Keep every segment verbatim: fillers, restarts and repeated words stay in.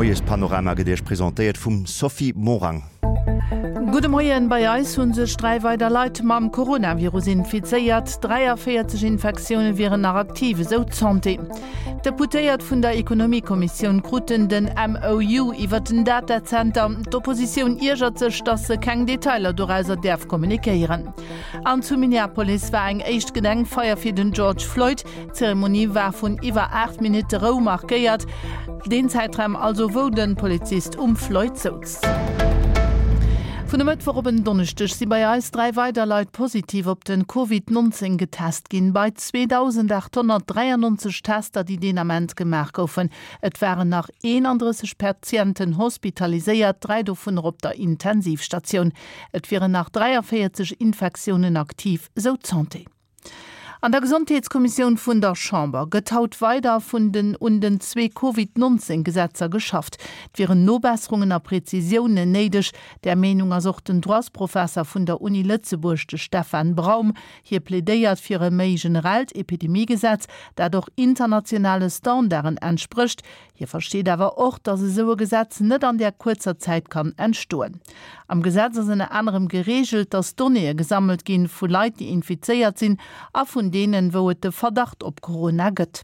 Moiespanorama gëtt Iech presentéiert vum Sophie Morang. Gudde Moien, Bei eis hu sech dräi weider Leit mam Coronavirus infizéiert. dräiavéierzeg Infektioune wieren nach aktiv, esou d'Santé. D'Deputéiert vun der Ekonomiekommissioun kruten den M O U iwwer den Datazenter. D'Oppositioun iergert sech, datt se keng Detailer dorauser däerf kommunikéieren. An zu Minneapolis war eng éischt Gedenkfeier fir den George Floyd. D'Zeremonie war vun iwwer aacht Minutte Rou markéiert, deen Zäitraum also wou de Polizist um Floyd souz. Vun e Mëttwoch op en Donneschdeg si bei eis dräi weider Leit positiv op den Covid nonzéng getest ginn, bei zweedausendachthonnertdräiannonzeg Tester, déi deen Ament gemaach goufen. Et waren nach eenandrësseg Patienten hospitaliséiert, dräi dovunner op der Intensivstatioun. Et wieren nach dräiavéierzeg Infektiounen aktiv, sou d'Santé. An der Gesondheetskommissioun vun der Chamber gëtt haut weider vun den un den zwee Covid nonzéng Gesetzer geschafft. Et wieren Nobesserungen a Präzisiounen néideg. Där Meenung ass och den Droitsprofesser vun der Uni Lëtzebuerg, de Stefan Braum. Hie plädéiert fir e méi generellt Epidemiegesetz, dat och internationale Standarden entsprécht. Hie versteet awer och, datt esou e Gesetz net an där kuerzer Zäit kann entstoen. Am Gesetz ass ënner anerem gereegelt, datt Donnéeë gesammelt ginn vu Leit, déi infizéiert sinn a vun deenen, wou et de Verdacht op Corona gëtt.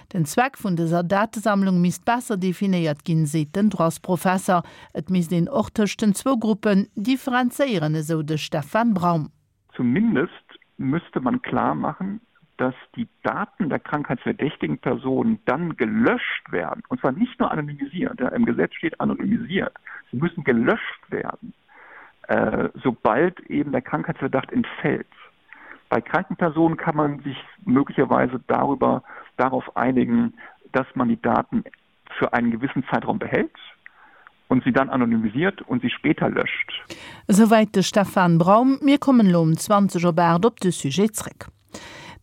Den Zweck vun dëser Datesammlung misst besser definéiert ginn, seet den Droitsprofesser. Et misst een och tëscht den zwou Gruppen differenzéieren, esou de Stefan Braum. Zumindest müsste man klar machen, dass die Daten der krankheitsverdächtigen Personen dann gelöscht werden, und zwar nicht nur anonymisiert, ja, im Gesetz steht anonymisiert, sie müssen gelöscht werden, äh, sobald eben der Krankheitsverdacht entfällt. Bei kranken Personen kann man sich möglicherweise darüber darauf einigen, dass man die Daten für einen gewissen Zeitraum behält und sie dann anonymisiert und sie später löscht. Esouwäit de Stefan Braum. Mir kommen elo um zwanzeg op aacht op de Sujet zréck.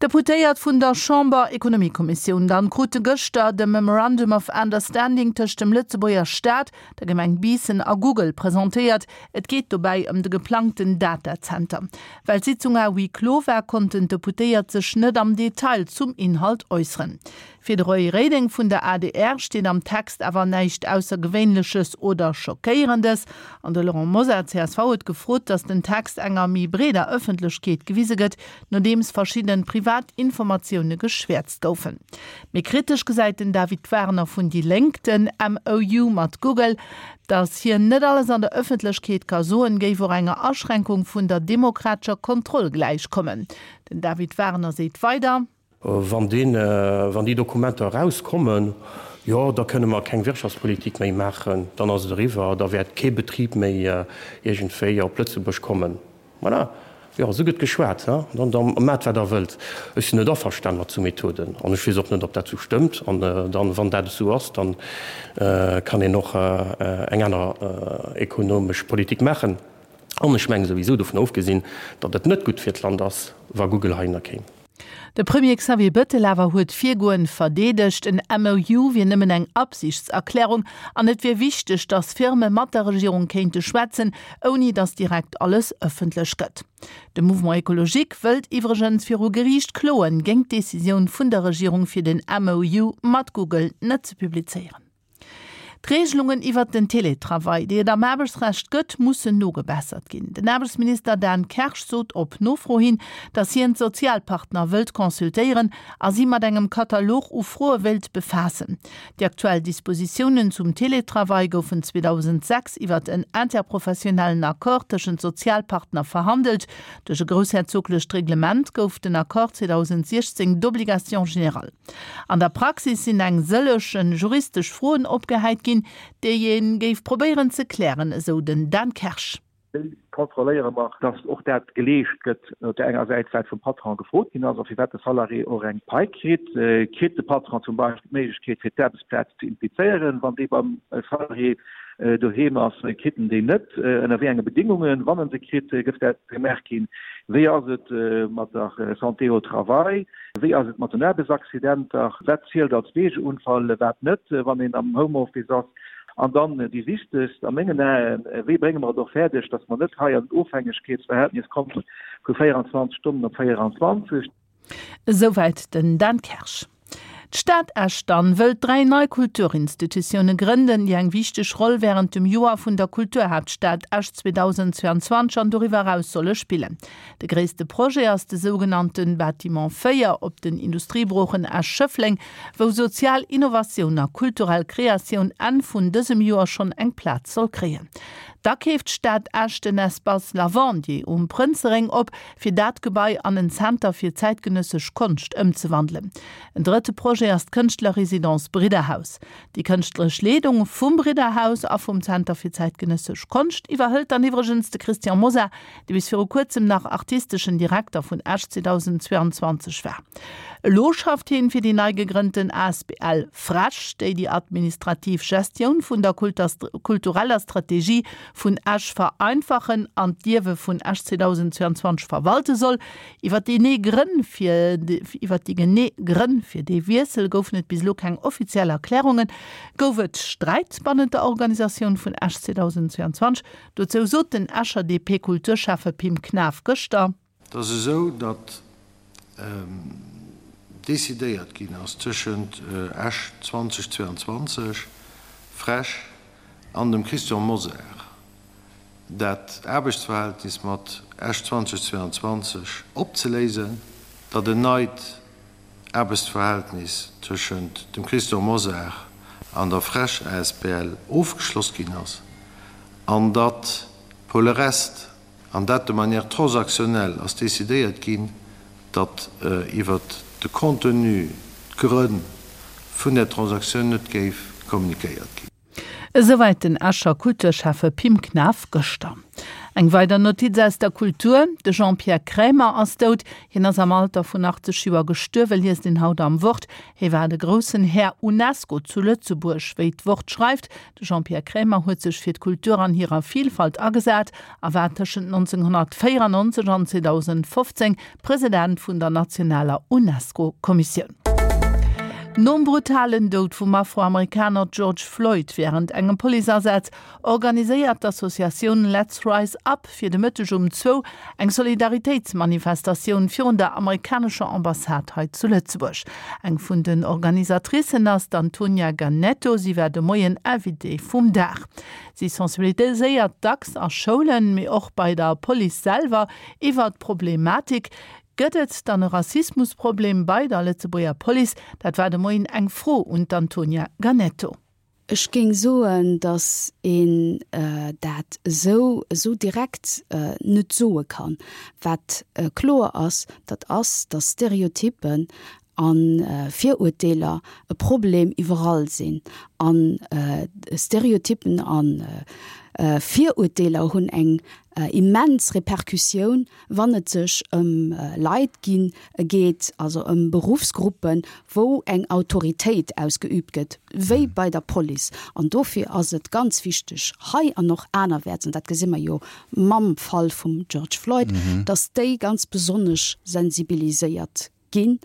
D'Deputéiert vun der Chamber-Ekonomiekommissioun dann krute gëschter de Memorandum of Understanding tëscht dem Lëtzebuerger Staat, der Gemeng Biissen a Google presentéiert. Et geet dobäi ëm de geplangten Datazenter. Well d'Sitzung à huis clos war, konnten d'Deputéiert sech net am Detail zum Inhalt äusseren. Fir de Roy Reding vun der A D R steet am Text awer näischt Aussergewéinleches oder Schockéierendes. An de Laurent Mosar, C S V, huet gefrot, datt den Text enger méi breeder Ëffentlechkeet gewise gëtt, nodeems verschidde privat Informatioune geschwäerzt goufen. Méi kritesch gesäit den David Werner vun déi Lénk den M O U mat Google. Datt hien net alles an der Ëffentlechkeet ka soen, géif och enger Aschränkung vun der demokratescher Kontroll gläichkommen. Den David Werner seet weider. Wann deen, wann déi Dokumenter erauskommen, jo, da kënne mer keng Wirtschaftspolitik méi maachen, dann ass et eriwwer, da wäert kee Betrib méi iergendwéi op Lëtzebuerg kommen. Voilà, jo, esou gëtt geschwat, hein, dann da maacht wat der wëllt. Ech sinn net averstane mat esou Methoden an ech weess och net, ob dat esou stëmmt. An dann, wann dat esou ass, dann kann een och eng aner ekonomesch Politik maachen. An ech menge souwisou, dovun ofgesinn, datt et net gutt fir d'Land ass, wa Google heihinner kéim. De Premier Xavier Bettel awer huet d'Virgoen verdeedegt. En M O U wier nëmmen eng Absichtserklärung an et wier wichteg, datt Firme mat der Regierung kéinte schwätzen, ouni datt direkt alles ëffentlech gëtt. De Mouvement Ecologique wëllt iwwregens viru Geriicht kloen géint d'Decisioun vun der Regierung fir den M O U mat Google net ze publizéieren. D'Reegelungen iwwert den Teletravail, déi et am Aarbechtsrecht gëtt, mussen nogebessert ginn. Den Aarbechtsminister Dan Kersch sot op Nofro hin, datt hien d'Sozialpartner wëllt consultéieren a si mat engem Katalog u Froe wéilt befaassen. Déi aktuell Dispositiounen zum Teletravail goufen zweedausendsechs iwwert en interprofessionellen Accord tëschent Sozialpartner verhandelt. Duerch e groussherzoglecht Reglement gouf den Accord zweedausendsiechzéng d'obligation générale. An der Praxis sinn eng sëllege juristesch Froen opgehäit ginn, déi ee géif probéieren ze klären, esou den Dan Kersch. Wéi kontrolléiere mer, dass och dat geleescht gëtt, op där enger Säit, wat vum Patron gefrot ginn ass a firwat de Salarié och eng Pai kritt? Kritt de Patron zum Beispill d'Méiglechkeet, fir d'Aarbechtsplaz ze implizéieren, wann déi beim Salarié doheem ass? Kritt en déi net? Ënner wéi enge Bedingungen, wann en se kritt, gëff dat gemaach ginn? Wéi ass et mat der Santé au travail? Wéi ass et mat den Aarbechtsaccidenter? Wat zielt als Wegeunfall, wat net, wann een am Homeoffice ass? An dann déi wichtegst a mengen Aen, Wéi brénge mer et och fäerdeg, dass mer net hei an en Ofhängegkeetsverhältnis komme vu véierundzwanzeg Stonnen op véierundzwanzeg? Esouwäit den Dan Kersch. D'Stad Esch dann wëllt dräi nei Kulturinstitutioune grënnen, déi eng wichteg Roll wärend dem Joer vun der Kulturhaaptstad Esch zweedausendzweianzwanzeg an doriwwer eraus solle spillen. De gréisste Projet ass de sougenannte Bâtiment véier op den Industriebroochen Esch-Schëffleng, wou sozial Innovatioun a kulturell Kreatioun Enn vun dësem Joer schonn eng Plaz soll kréien. Da keeft d'Stad Esch den Espace Lavandier um Prënzeréng op, fir dat Gebai an en Zenter fir zäitgenëssesch Konscht ëmzewandelen. En drëtte Projet ass d'Kënschtlerresidence Bridderhaus. Déi kënschtleresch Leedung vum Bridderhaus a vum Zenter fir zäitgenëssesch Konscht iwwerhëlt dann iwwregens de Christian Mosar, dee bis viru kuerzem nach artisteschen Direkter vun Esch zweedausendzweianzwanzeg war. Elo schafft hien fir déi nei gegrënnten asbl FrEsch, déi déi administrativ Gestioun vun der kultureller Strategie vun Esch vereinfachen an d'Ierwe vun Esch zweedausendzweianzwanzeg verwalte soll. Iwwer déi genee Grënn fir iwwer déi genee Grënn fir dee Wiessel goufen et bis elo keng offiziell Erklärungen. Gouf et Sträit bannent der Organisatioun vun Esch zweedausendzweianzwanzeg? Dozou sot den Escher D P-Kulturschäffe Pim Knaff gëschter. Et ass esou, datt decidéiert ginn ass tëschent Esch zweedausendzweianzwanzeg, FrEsch an dem Christian Mosar, dat Aarbechtsverhältnis mat Esch zweedausendzweianzwanzeg opzeléisen, datt en neit Aarbechtsverhältnis tëschent dem Christian Mosar an der FrEsch asbl ofgeschloss ginn ass an datt pour le reste, an dat de manière transactionnelle, ass decidéiert ginn, datt iwwert de Contenu, d'Grënn vun där Transaktioun net géif kommunikéiert ginn. Esouwäit den Escher Kulturschäffe Pim Knaff gëschter. Eng weider Notiz aus der Kultur, De Jean-Pierre Kremer ass dout. Hien ass am Alter vun achtzeg Joer gestuerwen, liest een haut am Wort. Hie war de groussen Här Unesco zu Lëtzebuerg, wéi d'Wort schreift. De Jean-Pierre Kremer huet sech fir d'Kultur an hirer Vilfalt agesat a war tëschent nonzénghonnertvéierannonzeg an zweedausendfofzéng President vun der nationaler Unesco-Kommissioun. Nom brutalen Doud vum Afroamerikaner George Floyd wärend engem Policeasaz organiséiert d'Associatioun Let's Rise Up fir de Mëtteg um zwou eng Solidaritéitsmanifestatioun virun der amerikanescher Ambassade hei zu Lëtzebuerg. Eng vun den Organisatricen ass d'Antonia Ganetto, si war de Moien Invitée vum Dag. Si sensibiliséiert dacks a Schoulen, mee och bei der Police selwer iwwer d'Problematik. Gëtt et dann e Rassismusproblem bei der Lëtzebuerger Police? Dat war de Moien eng Fro un d'Antonia Ganetto. Ech géing soen, datt een dat esou esou direkt net soe kann. Wat kloer ass, dat ass, datt Stereotyppen a Virurteeler e Problem iwwerall sinn. A Stereotyppen a Virurteeler hunn eng immens Repercussioun, wann et sech ëm Leit ginn geet, also ëm Beruffsgruppen, wou eng Autoritéit ausgeüübt gëtt, wéi bei der Police. An dofir ass et ganz wichteg hei an och anerwäerts, an dat gesi mer jo mam Fall vum George Floyd, datt déi ganz besonnesch sensibiliséiert ginn.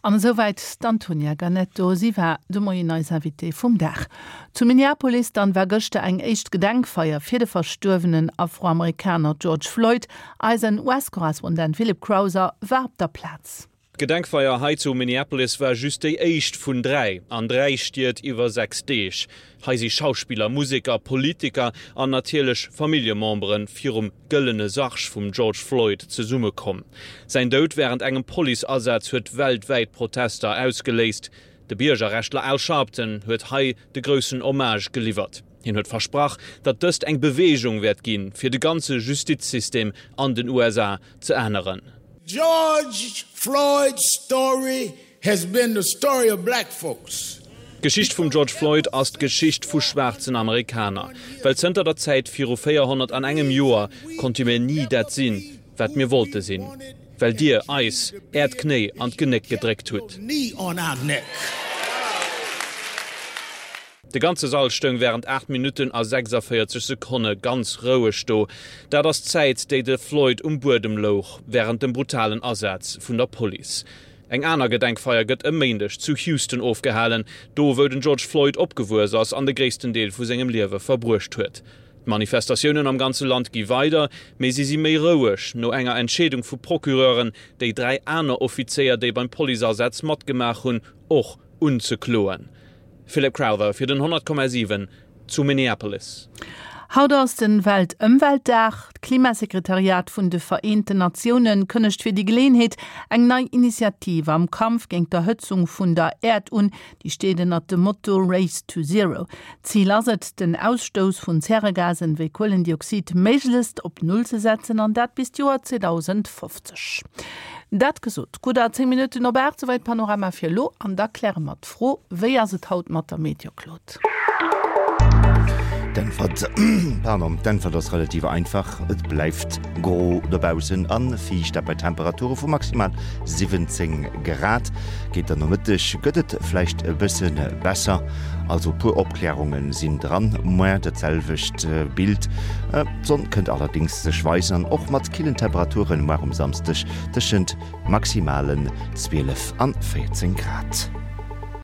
An esouwäit d'Antonia Ganetto. Si war de Moien eis Invitée vum Dag. Zu Minneapolis dann war gëschter eng éischt Gedenkfeier fir de verstuerwenen Afroamerikaner George Floyd. Eisen U S-Korrespondent Philip Crowther war op der Plaz. D'Gedenkfeier hei zu Minneapolis war just déi éischt vun dräi an dräi Stied iwwer sechs Deeg. Hei si Schauspiller, Museker, Politiker an natierlech Familljemembere virum gëllene Sarg vum George Floyd zesummekomm. Säin Doud wärend engem Policeasaz huet weltwäit Protester ausgeléist. De Biergerrechtler Al Sharpton huet hei de groussen Hommage geliwwert. Hien huet versprach, datt dëst eng Beweegung wäert ginn, fir de ganze Justizsystem an den U S A ze änneren. George Floyd's story has been the story of black folks. D'Geschicht vum George Floyd ass d'Geschicht vu schwaarzen Amerikaner. Well zënter der Zäit viru véierhonnert an engem Joer konnte mir ni dat sinn, wat mir wollte sinn. Well dir eis äert Knéi an d'Genéck gedréckt hutt. Knee on our neck. De ganze Sall stoung wärend aacht Minutten a sechsavéierzeg Sekonne ganz roueg do. Dat ass d'Zäit, déi de Floyd um Buedem louch wärend dem brutalen Asaz vun der Police. Eng aner Gedenkfeier gëtt e Méindeg zu Houston ofgehalen, do wou den George Floyd opgewuess ass an de gréissten Deel vu sengem Liewe verbruecht huet. D'Manifestatiounen am ganze Land gi weider, mee si si méi roueg no enger Entscheedung vu Procureuren, déi dräi aner Offizéier, déi beim Policeasaz matgemaach hunn, och unzekloen. Philip Crowther fir den honnert Komma siwen zu Minneapolis. Haut ass den Weltëmweltdag. D'Klimasekretariat vun de Vereenten Natiounen kënnegt fir déi Geleeënheet eng nei Initiativ am Kampf géint d'Erhëtzung vun der Äerd un. Déi steet ënnert dem Motto Race to Zero. Zil ass et, den Ausstouss vun Zäregasen wéi Kuelendioxid méiglechst op Null ze setzen, an dat bis d'Joer zweedausendfofzeg. Dat gesot, gudder zéng Minutten op aacht, souwäit Panorama fir elo. An da kläre mer d'Fro, Wéi ass et haut mat der Meteo, Claude? D'Äntwert, pardon, d'Äntwert ass relativ einfach, Et bleift gro dobaussen a fiicht, dat bei Temperature vu maximal siwwenzéng Grad. Géint den Nomëtteg gëtt et vläicht e bësse besser, also e puer Opklärunge sinn dran, mä dat selwecht Bild. D'Sonn kënnt allerdéngs sech weisen an och mat killen Temperaturen muar um Samsdeg tëschent maximalen zwielef an véierzéng Grad.